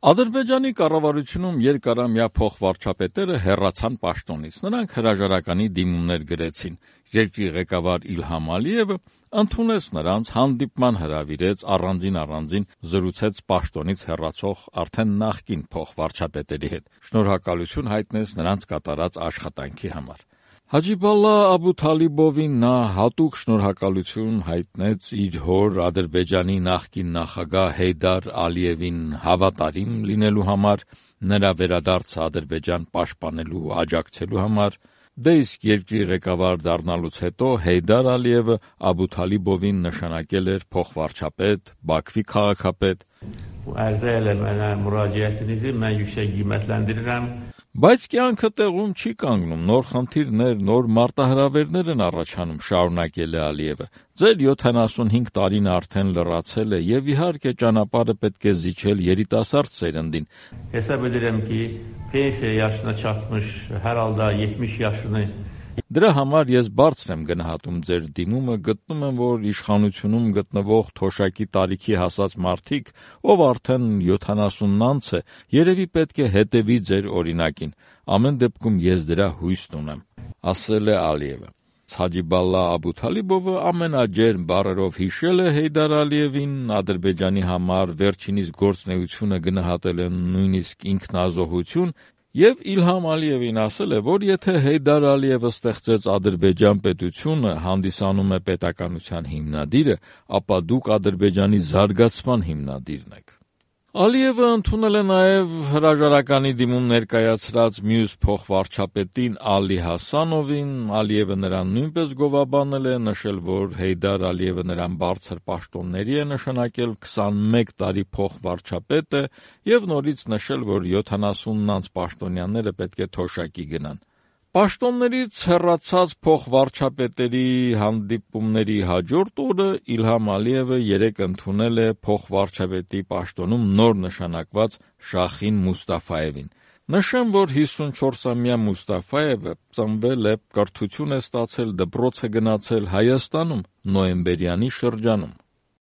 Ադրբեջանի կառավարությունում երկարամյա փոխվարչապետերը հեռացան պաշտոնից, նրանք հրաժարականի դիմումներ գրեցին, երկրի ղեկավար Իլհամ Ալիևը ընդունեց նրանց, հանդիպման հրավիրեց, առանձին զրուցեց պաշտոնից հեռացող արդեն նախկին փոխվարչապետերի հետ, շնորհակալություն հայտնեց նրանց կատարած աշխատանքի համար։ Հաջիբալլա Աբութալիբովին նա հատուկ շնորհակալություն հայտնեց իր հոր Ադրբեջանի նախկին նախագահ Հեյդար Ալիևին հավատարիմ լինելու համար, նրա վերադարձը Ադրբեջան պաշտպանելու ու աջակցելու համար, դե իսկ երկրի ղեկավար դառնալուց հետո Հեյդար Ալիևը Աբութալիբովին նշանակել էր փոխվարչապետ, Բաքվի քաղաքապետ, բայց կյանքը տեղում չի կանգնում, նոր խնդիրներ, նոր մարտահրավերներ են առաջանում, շարունակել է Ալիևը։ Ձեր 75 տարին արդեն լրացել է եւ իհարկե ճանապարհը պետք է զիջել երիտասարդ սերնդին։ Hesab edirəm ki, pensiya yaşına çatmış, hər halda 70 yaşını Դրա համար ես բարձր եմ գնահատում ձեր դիմումը, գտնում եմ, որ իշխանությունում գտնվող թոշակի տարիքի հասած մարդիկ, ով արդեն 70-ն անց է, երևի պետք է հետևի ձեր օրինակին, ամեն դեպքում ես դրա հույսն ունեմ, ասել է Ալիևը։ Հաջիբալլա Աբութալիբովը ամենաջերմ բառերով հիշել է Հեյդար Ալիևին, Ադրբեջանի համար վերջինիս գործունեությունը գնահատել է նույնիսկ ինքնազոհություն, եւ Իլհամ Ալիևին ասել է, որ եթե Հեյդար Ալիևը ստեղծեց Ադրբեջան պետությունը, հանդիսանում է պետականության հիմնադիրը, ապա դուք Ադրբեջանի զարգացման հիմնադիրն եք։ Ալիևը ընդունել է նաև հրաժարականի դիմում ներկայացրած մյուս փոխվարչապետին Ալի Հասանովին, Ալիևը նրան նույնպես գովաբանել է, նշել, որ Հեյդար Ալիևը նրան բարձր պաշտոնների է նշանակել, 21 տարի փոխվարչապետ է եւ նորից նշել, որ 70-ն անց պաշտոնյաները պետք է թոշակի գնան։ Պաշտոններից հեռացած փոխվարչապետերի հանդիպումների հաջորդ օրը Իլհամ Ալիևը երեկ ընդունել է փոխվարչապետի պաշտոնում նոր նշանակված Շախին Մուստաֆայևին։ Նշեմ, որ 54-ամյա Մուստաֆայևը ծնվել է, կրթություն է ստացել, դպրոց է գնացել Հայաստանում, նոյեմբերյանի շրջանում։